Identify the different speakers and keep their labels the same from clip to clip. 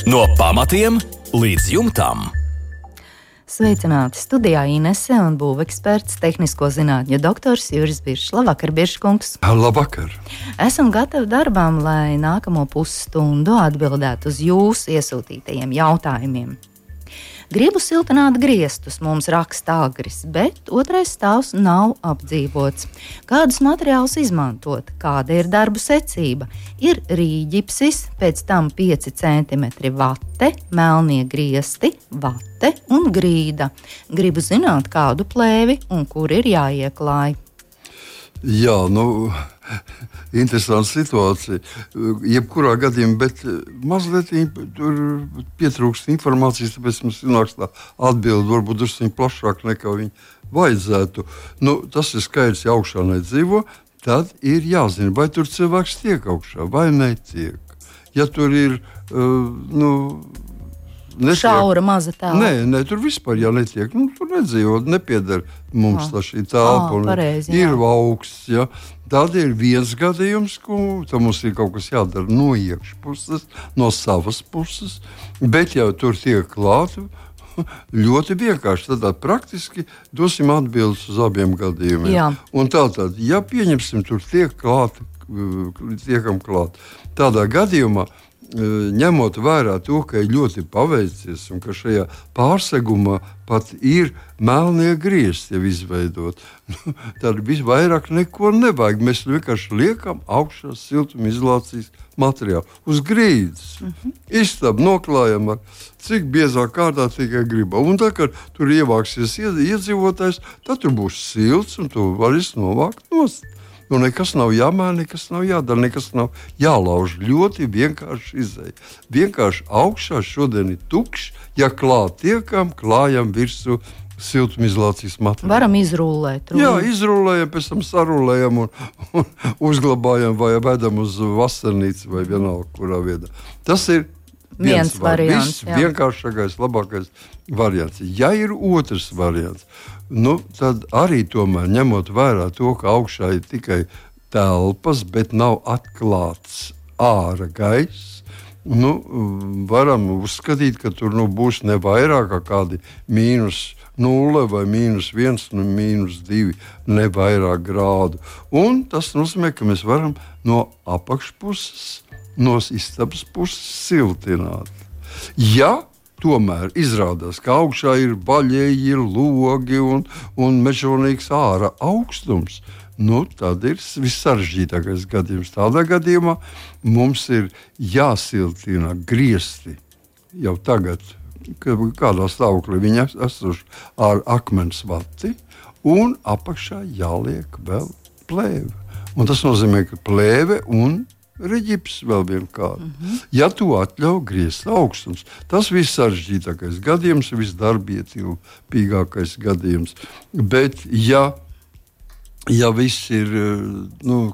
Speaker 1: No pamatiem līdz jumtam.
Speaker 2: Sveicināti studijā Inese un būveksperts, tehnisko zinātņu doktors Juris Biršs. Labvakar, Birškungs!
Speaker 3: Labvakar!
Speaker 2: Esam gatavi darbām, lai nākamo pusstundu atbildētu uz jūsu iesūtītajiem jautājumiem. Gribu siltināt griestus, mums raksta Agris, bet otrais stāvs nav apdzīvots. Kādus materiālus izmantot? Kāda ir darbu secība? Ir rīģipsis, pēc tam 5 cm vate, melnie griesti, vate un grīda. Gribu zināt, kādu plēvi un kur ir jāieklāj.
Speaker 3: Jā, interesanta situācija. Jebkurā gadījumā, bet mazliet tur pietrūkst informācijas, tāpēc mums nāks tā atbilde varbūt drusku plašāk nekā viņa vajadzētu. Tas ir skaidrs, ja augšā nedzīvo, tad ir jāzina, vai tur cilvēks tiek augšā vai netiek. Ja tur ir,
Speaker 2: šaura maza telpa.
Speaker 3: Nē, tur vispār netiek. Tur nedzīvo, nepieder mums šī telpa.
Speaker 2: Pareizi,
Speaker 3: ir augsts. Ja. Tad ir viens gadījums, ka mums ir kaut kas jādara no iekšpuses, no savas puses. Bet jau tur tiek klāta ļoti vienkārši. Tad praktiski dosim atbildes uz abiem gadījumiem.
Speaker 2: Jā.
Speaker 3: Un tātad, ja pieņemsim, tur tiekam klāt. Tādā gadījumā, ņemot vērā to, ka ir ļoti paveicies un ka šajā pārsegumā pat ir melnie griesti jau izveidot, tad visvairāk neko nevajag. Mēs vienkārši liekam augšā siltumizolācijas materiālu uz grīdas. Istabu noklājam ar cik biezā kārtā tikai gribam. Un tā, kad tur ievāksies iedzīvotājs, tad tur būs silts un tu vari novākt nost. Nekas nav jāmaina, nekas nav jādara, nekas nav jālauž. Ļoti vienkārši izēja. Vienkārši augšā šodien ir tukšs. Ja klāt tiekam, klājam virsū siltumizolācijas materiālu.
Speaker 2: Varam izrullēt.
Speaker 3: Jā, izrullējam, pēc tam sarulējam un uzglabājam vai vedam uz vasarnīcu vai vienalga, kurā viedā. Tas ir viens variants. Vienkāršākais, labākais variants. Ja ir otrs variants, tad arī tomēr ņemot vērā to, ka augšā ir tikai telpas, bet nav atklāts ārā gaiss, varam uzskatīt, ka tur būs ne vairāk kā kādi -0 vai -1, -2, ne vairāk grādu. Un tas nozīmē, ka mēs varam no apakšpuses, no istabas puses siltināt. Ja tomēr izrādās, ka augšā ir baļķi, ir logi un mežonīgs ārā augstums, tad ir vissarežģītākais gadījums. Tādā gadījumā mums ir jāsiltina griesti jau tagad, kādā stāvoklī viņi esoši ar akmens vati, un apakšā jāliek vēl plēve. Un tas nozīmē, ka plēve un reģips vēl vienkārši. Ja to atļauj griezta augstums, tas viss sarežģītākais gadījums, visdarbietilpīgākais gadījums. Bet ja viss ir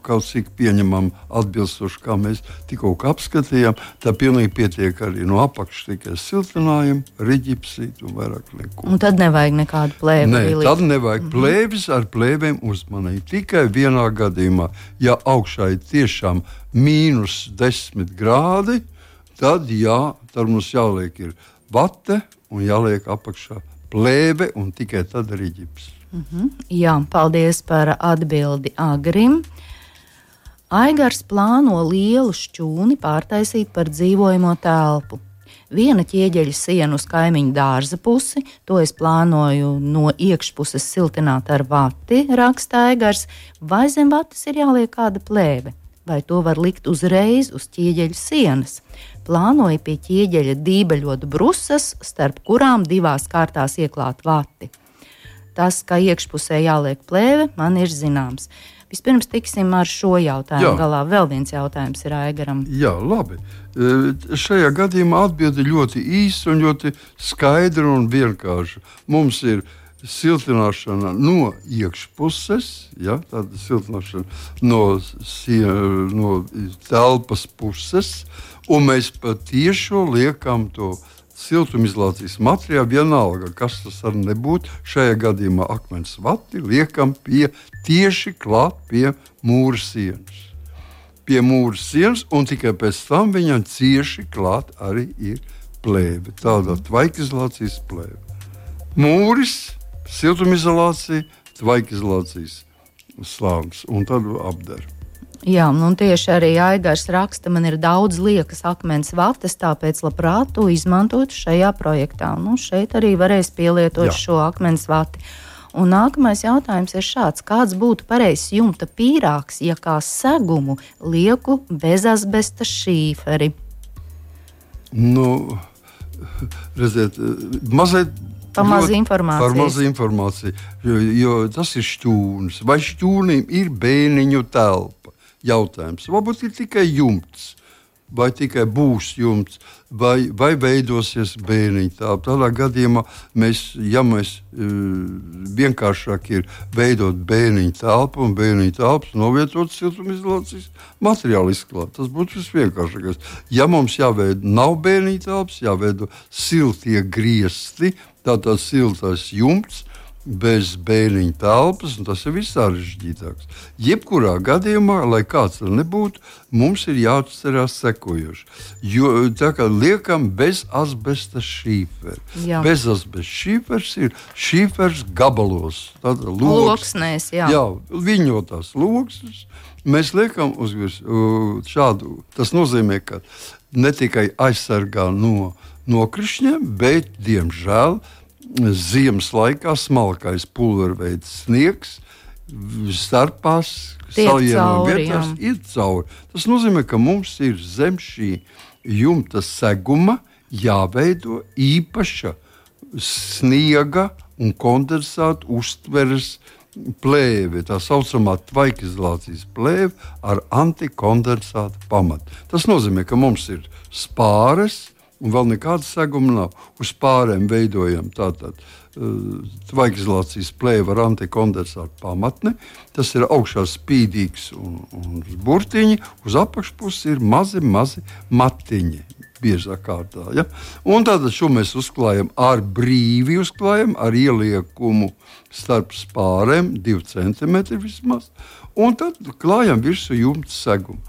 Speaker 3: kaut cik pieņemam atbilstoši, kā mēs tikko apskatījām, tad pilnīgi pietiek arī no apakšas tikai siltinājumi, reģipsīt un vairāk neko.
Speaker 2: Un tad nevajag nekādu plēvi.
Speaker 3: Nē, tad nevajag plēvis ar plēvēm uzmanīt. Tikai vienā gadījumā, ja augšā ir tiešām -10 grādi, tad mums jāliek ir vate un jāliek apakšā plēve un tikai tad reģips.
Speaker 2: Jā, paldies par atbildi Agrim. Aigars plāno lielu šķūni pārtaisīt par dzīvojamo telpu. Viena ķieģeļa siena uz kaimiņu dārza pusi, to es plānoju no iekšpuses siltināt ar vati, raksta Aigars, vai zem vatas ir jāliek kāda plēve, vai to var likt uzreiz uz ķieģeļa sienas. Plānoju pie ķieģeļa dībeļot brusas, starp kurām 2 kārtās ieklāt vati. Tas, ka iekšpusē jāliek plēve, man ir zināms. Vispirms tiksim ar šo jautājumu galā. Vēl viens jautājums ir Aigaram.
Speaker 3: Jā, labi. Šajā gadījumā atbilde ļoti īsa un ļoti skaidra un vienkārša. Mums ir siltināšana no iekšpuses, tāda siltināšana no telpas puses, un mēs patiešo liekam to siltumizolācijas materiālu, vienalga, kas tas var nebūt. Šajā gadījumā akmens vati liekam tieši klāt pie mūra sienas. Pie mūra sienas, un tikai pēc tam viņam cieši klāt arī ir plēve, tāda tvaikizolācijas plēve. Mūris, siltumizolācija, tvaikizolācijas slānis un tad apdara.
Speaker 2: Jā, un tieši arī Aigars raksta, man ir daudz liekas akmens vatas, tāpēc labprāt to izmantot šajā projektā. Šeit arī varēs pielietot šo akmens vati. Un nākamais jautājums ir šāds. Kāds būtu pareizs jumta pīrāgs, ja kā segumu lieku bezasbesta šīferi?
Speaker 3: Redziet, mazliet
Speaker 2: par maz
Speaker 3: informācijas, jo tas ir šķūnis. Vai šķūnim ir bēniņu telpa? Jautājums. Varbūt ir tikai jumts, vai tikai būs jumts, vai veidosies bēniņu telpa. Tādā gadījumā mēs vienkāršāk ir veidot bēniņu telpu un bēniņu telpas novietot siltumizolācijas materiālu izklāt. Tas būtu visvienkāršākais. Ja mums nav bēniņu telpas, jāveido siltie griesti, tātad siltais jumts, bez bēniņu telpas, un tas ir vissarežģītāks. Jebkurā gadījumā, lai kāds tur nebūtu, mums ir jāatcerās sekojoši. Jo tā kā liekam bez asbesta šīferi. Bez asbesta šīfers ir šīfers gabalos.
Speaker 2: Loksnēs, jā.
Speaker 3: Jā, viņotās loksnes. Mēs liekam uz šādu. Tas nozīmē, ka ne tikai aizsargā no nokrišņiem, bet, diemžēl, ziemas laikā smalkais pulverveids sniegs starpās savienojuma vietās ir cauri. Tas nozīmē, ka mums ir zem šī jumta seguma jāveido īpaša sniega un kondensāta uztveres plēve, tā saucamā tvaikizolācijas plēve ar antikondensāta pamatu. Tas nozīmē, ka mums ir spāres, un vēl nekāda seguma nav. Uz pārēm veidojam tātad tvaikizolācijas plēve ar antikondensātu pamatni. Tas ir augšā spīdīgs un burtiņi, uz apakšpusi ir mazi matiņi. Biezā kārtā. Ja? Un tātad šo mēs uzklājam brīvi ar ieliekumu starp spārēm 2 cm vismaz, un tad klājam virsū jumta segumu.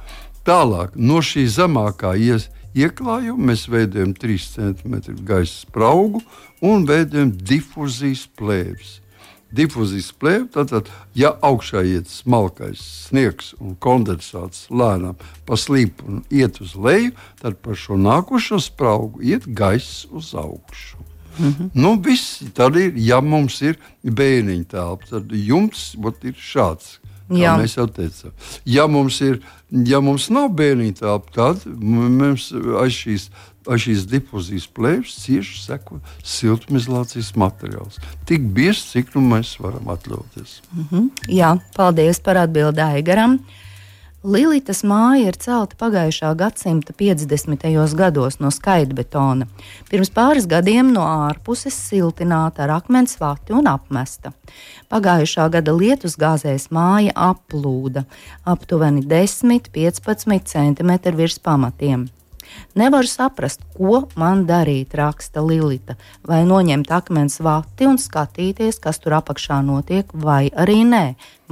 Speaker 3: Tālāk no šī zemākā ieklājuma mēs veidojam 3 cm gaisa spraugu un veidojam difuzijas plēves. Difuzijas plēve, tātad, ja augšā iet smalkais sniegs un kondensāts lēnām pa slīpu un iet uz leju, tad par šo nākošo spraugu iet gaiss uz augšu. Viss tad ir, ja mums ir bēniņu telpa, tad jumts ir šāds. Kā mēs jau teicām. Ja mums nav bēniņu telpa, tad mums aiz šīs difuzijas plēves cieši seko siltumizolācijas materiāls. Tik bieži, cik mēs varam atļauties.
Speaker 2: Jā, paldies par atbildi Aigaram. Lilitas māja ir celta pagājušā gadsimta 50. gados no skaidbetona. Pirms pāris gadiem no ārpuses siltināta ar akmens vati un apmesta. Pagājušā gada lietusgāzēs māja aplūda aptuveni 10–15 cm virs pamatiem. Nevaru saprast, ko man darīt, raksta Lilita. Vai noņemt akmens vati un skatīties, kas tur apakšā notiek, vai arī nē.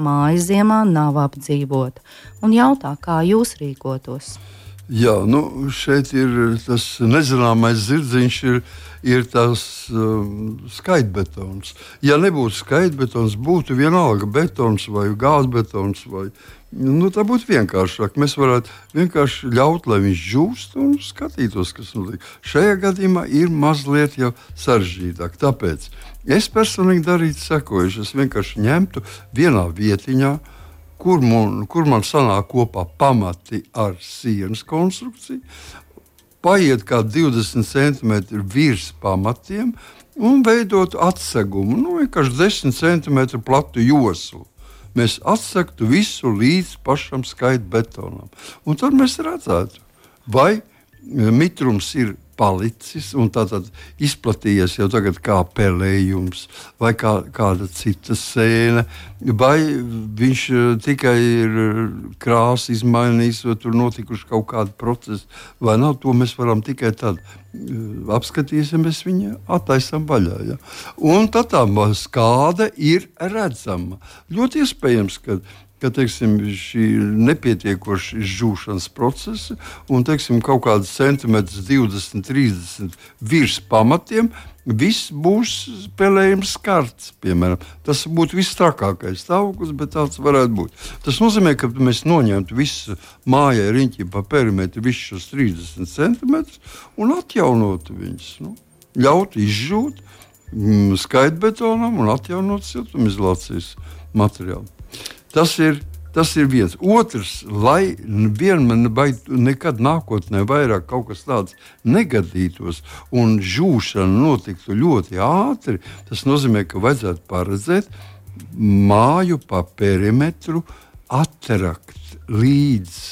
Speaker 2: Māja ziemā nav apdzīvota. Un jautā, kā jūs rīkotos?
Speaker 3: Jā, šeit ir tas nezināmais zirdziņš, ir tas skaidbetons. Ja nebūtu skaidbetons, būtu vienalga betons vai gāzbetons vai tā būtu vienkāršāk. Mēs varētu vienkārši ļaut, lai viņš žūst un skatītos, kas notiek. Šajā gadījumā ir mazliet jau sarežģītāk. Tāpēc es personīgi darītu sekojuši. Es vienkārši ņemtu vienā vietiņā, kur man sanāk kopā pamati ar sienas konstrukciju, paiet kā 20 cm virs pamatiem un veidot atsegumu, vienkārši 10 cm platu joslu. Mēs atsegtu visu līdz pašam skaidbetonam. Un tad mēs redzētu, vai mitrums ir palicis un tātad izplatījies jau tagad kā pelējums vai kāda cita sēne, vai viņš tikai ir krāsa izmainījis, vai tur notikuši kaut kādi procesi, vai nav, to mēs varam tikai tad apskatīsimies viņa attaisam vaļā. Ja? Un tad tā skāde ir redzama. Ļoti iespējams, ka ka teiksim, šī nepietiekoša izžūšanas procesa un teiksim, kaut kāds centimetrs 20, 30 virs pamatiem, viss būs pelējums skarts, piemēram. Tas būtu viss trakākais stāvoklis, bet tāds varētu būt. Tas nozīmē, ka mēs noņemtu visu mājai riņķi pa perimetru, visus šos 30 centimetrus un atjaunotu viņus. Ļautu izžūt skaitbetonam un atjaunot siltumizolācijas materiālu. Tas ir viens. Otrs, lai nekad nākotnē vairāk kaut kas tāds negadītos un žūšana notiktu ļoti ātri, tas nozīmē, ka vajadzētu paredzēt māju pa perimetru atterakt līdz,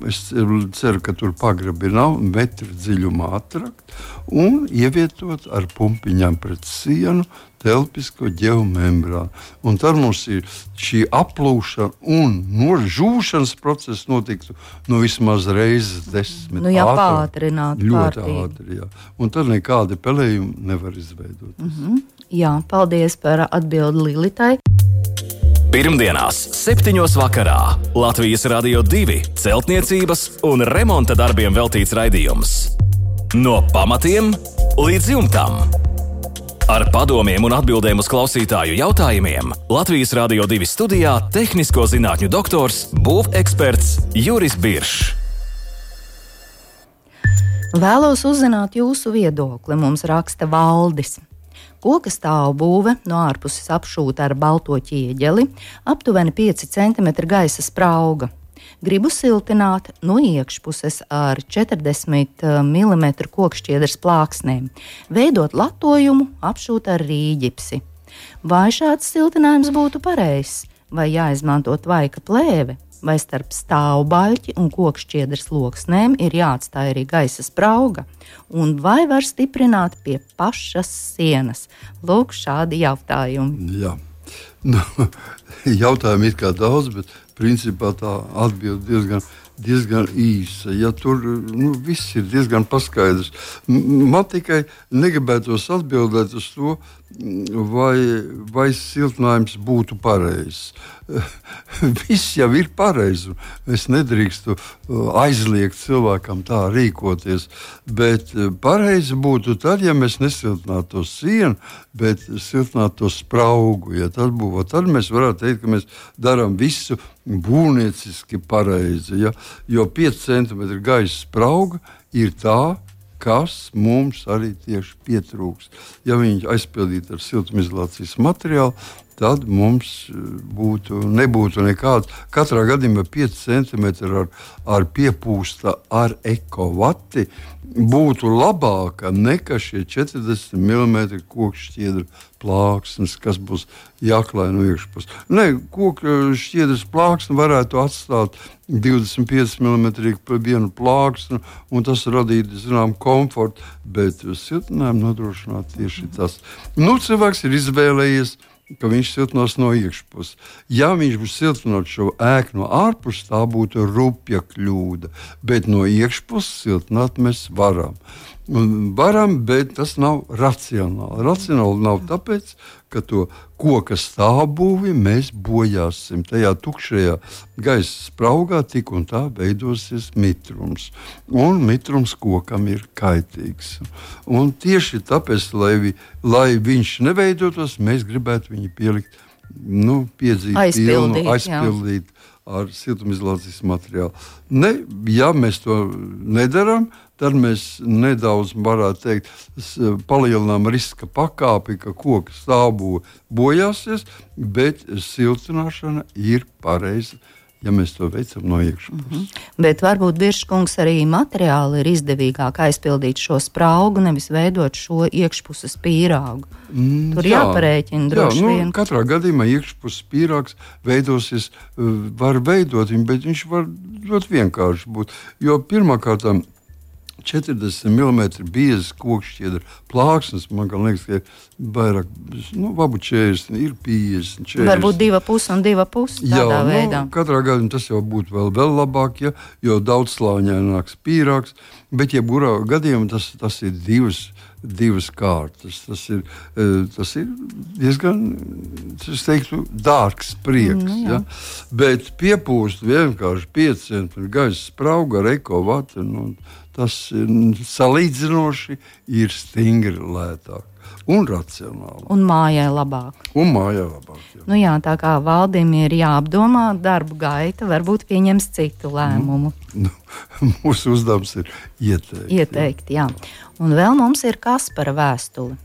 Speaker 3: es ceru, ka tur pagrabi nav, metru dziļumā atterakt un ievietot ar pumpiņām pret sienu telpisko ģeomembrānu. Un tad mums ir šī aplūšana un žūšanas process notiktu vismaz reizes 10.
Speaker 2: Pātrināt.
Speaker 3: Ļoti ātri, jā. Un tad nekādi pelējumi nevar izveidot.
Speaker 2: Jā, paldies par atbildi Lilitai.
Speaker 1: Pirmdienās, 7. vakarā Latvijas Radio 2 celtniecības un remonta darbiem veltīts raidījums. No pamatiem līdz jumtam. Ar padomiem un atbildēm uz klausītāju jautājumiem Latvijas Radio 2 studijā tehnisko zinātņu doktors, būveksperts Juris Biršs.
Speaker 2: Vēlos uzzināt jūsu viedokli, mums raksta Valdis. Koka stāvbūve no ārpuses apšūta ar balto ķieģeli, aptuveni 5 cm gaisa sprauga. Gribu siltināt no iekšpuses ar 40 mm kokšķiedras plāksnēm, veidot latojumu, apšūt ar rīģipsi. Vai šāds siltinājums būtu pareizs, vai jāizmanto tvaika plēve, vai starp stāvbaļķi un kokšķiedras loksnēm ir jāatstāj arī gaisa sprauga, un vai var stiprināt pie pašas sienas? Lūk, šādi jautājumi.
Speaker 3: Jā, jautājumi ir kā daudz, bet principā tā atbilde diezgan īsa. Ja tur viss ir diezgan paskaidrs. Man tikai negribētos atbildēt uz to, vai siltinājums būtu pareizs. Viss jau ir pareizi. Es nedrīkstu aizliegt cilvēkam tā rīkoties, bet pareizi būtu tad, ja mēs nesiltinātu to sienu, bet siltinātu to spraugu. Ja tad mēs varētu teikt, ka mēs darām visu būvnieciski pareizi. Ja? Jo 5 cm gaisa sprauga ir tā, kas mums arī tieši pietrūks. Ja viņi aizpildītu ar siltumizolācijas materiālu, tad mums nebūtu nekāds. Katrā gadījumā 5 cm ar piepūsta ar ekovati būtu labāka nekā šie 40 mm kokšķiedra plāksnes, kas būs jāklāj no iekšpuses. Kokšķiedras plāksne varētu atstāt 25 mm vienu plāksnu, un tas radītu, komfortu, bet siltinājumu nodrošināt tieši tas. Cilvēks ir izvēlējies, ka viņš siltinās no iekšpuses. Ja viņš būs siltinot šo ēku no ārpuses, tā būtu rupja kļūda, bet no iekšpuses siltināt mēs varam. Varam, bet tas nav racionāli. Racionāli nav tāpēc, ka to koka stāvbūvi mēs bojāsim. Tajā tukšajā gaisa spraugā tik un tā veidosies mitrums. Un mitrums kokam ir kaitīgs. Un tieši tāpēc, lai viņš neveidotos, mēs gribētu viņu pielikt, aizpildīt ar siltumizolācijas materiālu. Ja mēs to nedarām, tad mēs nedaudz, varētu teikt, palielinām riska pakāpi, ka koka stāvbūve bojāsies, bet siltināšana ir pareiza, ja mēs to veicam no iekšpuses.
Speaker 2: Bet varbūt, Birškungs, arī materiāli ir izdevīgāk aizpildīt šo spraugu, nevis veidot šo iekšpuses pīrāgu. Tur jāparēķina droši vien.
Speaker 3: Katrā gadījumā iekšpuses pīrāgs veidosies, var veidot viņu, bet viņš var ļoti vienkārši būt. Jo pirmkārt, 40 mm biezas kokšķiedra plāksnes. Man liekas, ka ir vairāk, varbūt 40, ir 50, 40.
Speaker 2: Varbūt 2,5 un 2,5 tādā veidā.
Speaker 3: Katrā gadījumā tas jau būtu vēl labāk, jo daudzslāņaināks pīrāgs, bet jebkurā gadījumā tas ir divas kārtas. Tas ir diezgan, es teiktu, dārgs prieks. Ja? Bet piepūst vienkārši 5 cm gaisa sprauga ar ekovatu, tas salīdzinoši ir stingri lētāk un racionāli.
Speaker 2: Un mājai labāk. Jā. Tā kā Valdim ir jāapdomā darbu gaita, varbūt pieņems citu lēmumu.
Speaker 3: Mūsu uzdevums ir ieteikt.
Speaker 2: Jā. Un vēl mums ir Kaspara vēstule.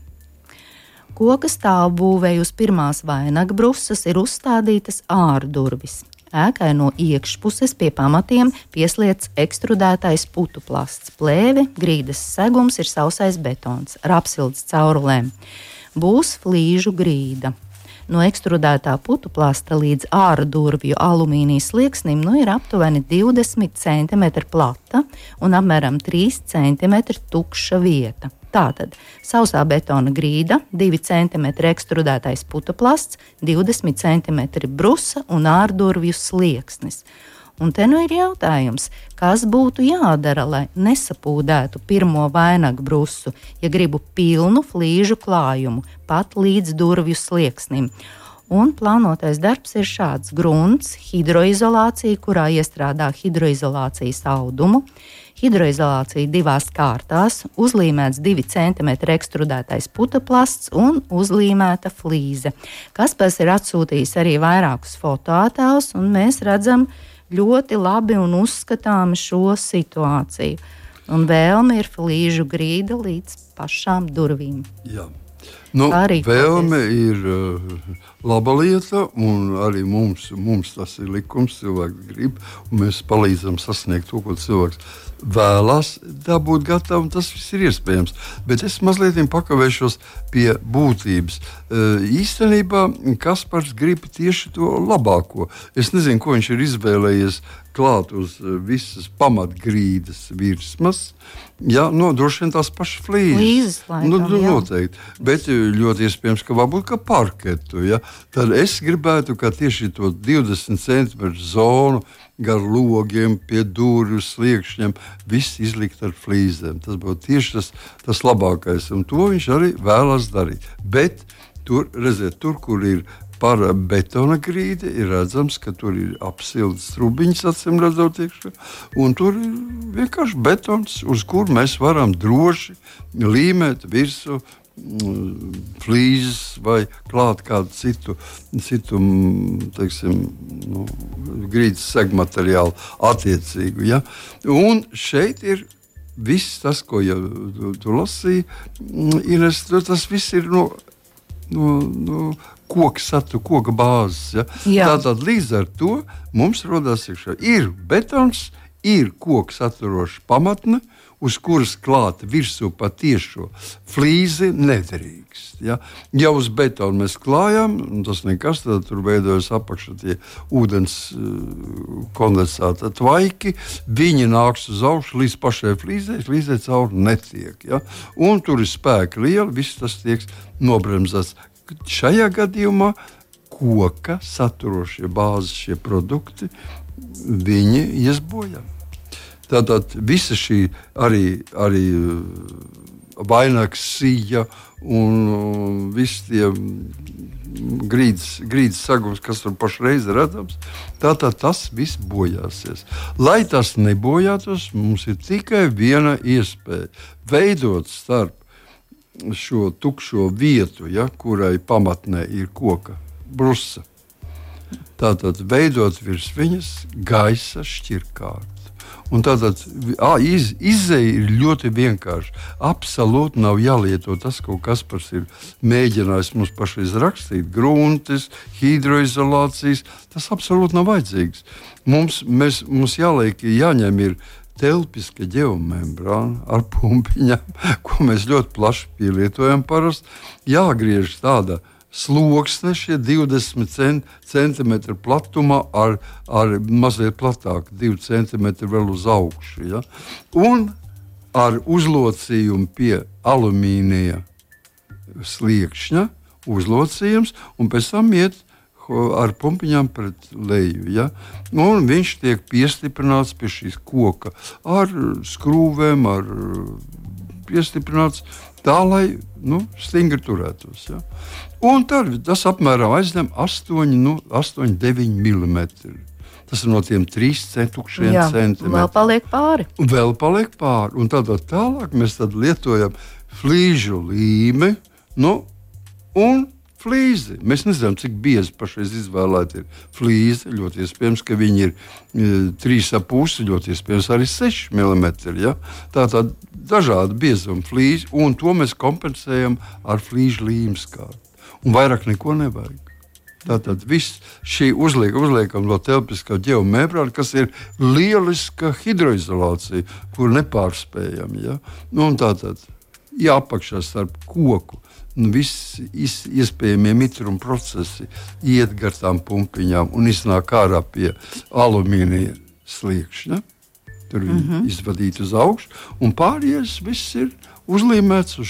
Speaker 2: Koka stāvbūvei uz pirmās vainagbrusas ir uzstādītas ārdurvis. Ēkai no iekšpuses pie pamatiem pieslietas ekstrudētais putu plasts. Plēve, grīdas segums ir sausais betons ar apsildes caurulēm. Būs flīžu grīda. No ekstrudētā putu plasta līdz ārdurvju alumīnija slieksnim ir aptuveni 20 cm plata un apmēram 3 cm tukša vieta. Tātad sausā betona grīda, 2 cm ekstrudētais putu plasts, 20 cm brusa un ārdurvju slieksnis. Un te ir jautājums, kas būtu jādara, lai nesapūdētu pirmo vainagu brusu, ja gribu pilnu flīžu klājumu, pat līdz durvju slieksnim. Un plānotais darbs ir šāds: grunts, hidroizolācija, kurā iestrādā hidroizolācijas audumu, hidroizolācija 2 kārtās, uzlīmēts 2 cm ekstrudētais putuplasts un uzlīmēta flīze. Kaspars ir atsūtījis arī vairākus fotoattēlus, un mēs redzam ļoti labi un uzskatāmi šo situāciju. Un vēlme ir flīžu grīda līdz pašām durvīm.
Speaker 3: Jā. Vēlme ir laba lieta, un arī mums tas ir likums, cilvēki grib, un mēs palīdzam sasniegt to, ko cilvēks vēlās dabūt gatavu, un tas viss ir iespējams. Bet es mazliet pakavēšos pie būtības. Īstenībā Kaspars grib tieši to labāko. Es nezinu, ko viņš ir izvēlējies klāt uz visas pamatgrīdas virsmas. Jā, droši vien tās pašas flīzes. Noteikti. Bet ļoti iespējams, ka varbūt kā parketu. Ja? Tad es gribētu, ka tieši to 20 cm zonu gar logiem, pie durvju sliekšņiem, viss izlikt ar flīzēm. Tas būtu tieši tas labākais, un to viņš arī vēlas darīt. Bet tur, redziet, kur ir par betona grīdi, ir redzams, ka tur ir apsildes trubiņas, acīm redzot, iekšā, un tur ir vienkārši betons, uz kur mēs varam droši līmēt virsū flīzes vai klāt kādu citu teiksim, grīdas segmateriālu attiecīgu. Ja? Un šeit ir viss tas, ko tu lasīji, Ines, tas viss ir no koka bāzes. Ja? Tātad līdz ar to mums rodās iekšā ir betons, ir koks saturoša pamatne, uz kuras klāta virsū patiešo flīzi nedrīkst. Ja? Ja uz betonu mēs klājam, tas nekas, tad tur veidojas apakšā tie ūdens kondensāta tvaiki, viņi nāks uz augšu līdz pašai flīzē cauri netiek. Ja? Un tur ir spēki lieli, viss tas tiek nobremzēts. Šajā gadījumā koka saturošie bāzes šie produkti, viņi ies bojā. Tātad visa šī arī vainags sija un visi tie grīdas sagums, kas tur pašreiz ir redzams, tātad tas viss bojāsies. Lai tas nebojātos, mums ir tikai viena iespēja veidot starp šo tukšo vietu, ja, kurai pamatnē ir koka brusa. Tātad veidot virs viņas gaisa šķirkārtu. Un tātad izēja ir ļoti vienkārši. Absolūti nav jālieto tas, ko Kaspars ir mēģinājis mums pašreiz rakstīt. Gruntis, hidroizolācijas, tas absolūti nav vajadzīgs. Mums jāņem ir telpiska ģeomembrāna ar pumpiņām, ko mēs ļoti plaši pielietojam parasti. Jāgriež tāda sloksne, šie 20 cm platumā ar mazliet platāk, 2 cm vēl uz augšu. Ja? Un ar uzlocījumu pie alumīnija sliekšņa, uzlocījums, un pēc tam iet ar pumpiņām pret leju. Ja? Un viņš tiek piestiprināts pie šīs koka ar skrūvēm, ar piestiprināts tā, lai stingri turētos. Ja? Un tas apmēram aizņem 8-9 mm. Tas ir no tiem 3 centimetriem.
Speaker 2: Vēl paliek pāri.
Speaker 3: Un tālāk mēs lietojam flīžu līmi, un flīzi. Mēs nezinām, cik biezi pašreiz izvēlēti ir flīzi. Ļoti iespējams, ka viņi ir 3,5, ļoti iespējams arī 6 mm. Ja? Tātad dažādi biezuma flīzi, un to mēs kompensējam ar flīžu līmskārtu. Un vairāk neko nevajag. Tātad viss šī uzliekam no telpiskā ģeomembrāna, kas ir lieliska hidroizolācija, kur nepārspējam. Ja? Un tātad apakšā starp koku. Visi iespējamie mitruma procesi iet gar tām pumpiņām un iznāk ārā pie alumīnija sliekšņa. Tur viņi izvadīti uz augšu, un pārējais viss ir uzlīmēts uz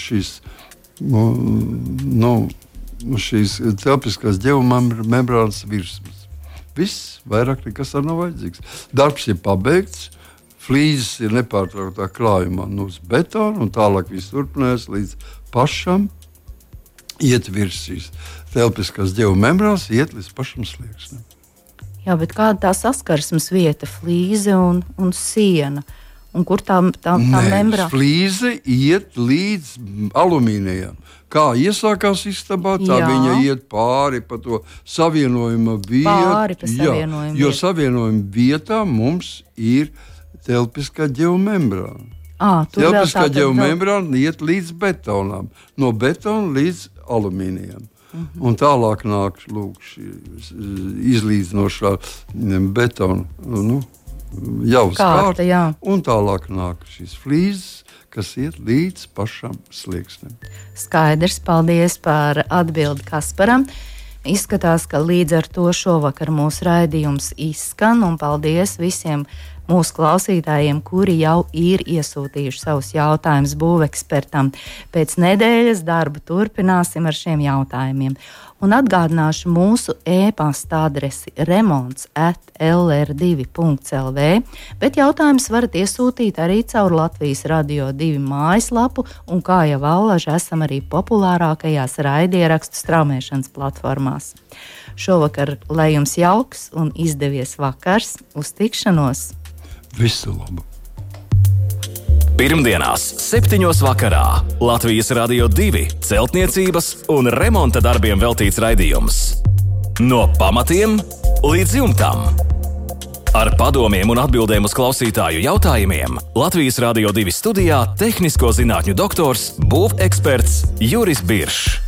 Speaker 3: šīs telpiskās ģeomembrānas virsmas. Viss, vairāk nekas nav vajadzīgs. Darbs ir pabeigts, flīzes ir nepārtrauktā krājumā uz betona, un tālāk viss turpinās līdz pašam iet virs šīs telpiskās ģeomembrānas, iet līdz pašam sliekšņam.
Speaker 2: Jā, bet kāda tā saskarsmes vieta, flīze un siena? Un kur tā membrāna?
Speaker 3: Flīze iet līdz alumīnijam. Kā iesākās istabā, tā viņa iet pāri pa to savienojuma vietu.
Speaker 2: Pāri pa savienojuma vietu.
Speaker 3: Jo savienojuma vietā mums ir telpiskā ģeomembrāna. Telpiskā ģeomembrāna iet līdz betonām. No betona līdz alumīnijam. Un tālāk nāk izlīdzinošā betona jau skārta. Un tālāk nāk šīs flīzes, kas iet līdz pašam slieksnim.
Speaker 2: Skaidrs, paldies par atbildi Kasparam. Izskatās, ka līdz ar to šovakar mūsu raidījums izskan, un paldies visiem mūsu klausītājiem, kuri jau ir iesūtījuši savus jautājumus būvekspertam. Pēc nedēļas darbu turpināsim ar šiem jautājumiem. Un atgādināšu mūsu e-pasta adresi remonts@lr2.lv, bet jautājumus varat iesūtīt arī caur Latvijas Radio 2 mājaslapu, un kā jau allaži esam arī populārākajās raidierakstu straumēšanas platformās. Šovakar lai jums jauks un izdevies vakars, uz tikšanos!
Speaker 3: Visu labu!
Speaker 1: Pirmdienās 7. vakarā Latvijas Radio 2 celtniecības un remonta darbiem veltīts raidījums. No pamatiem līdz jumtam. Ar padomiem un atbildēm uz klausītāju jautājumiem Latvijas Radio 2 studijā tehnisko zinātņu doktors, būveksperts Juris Biršs.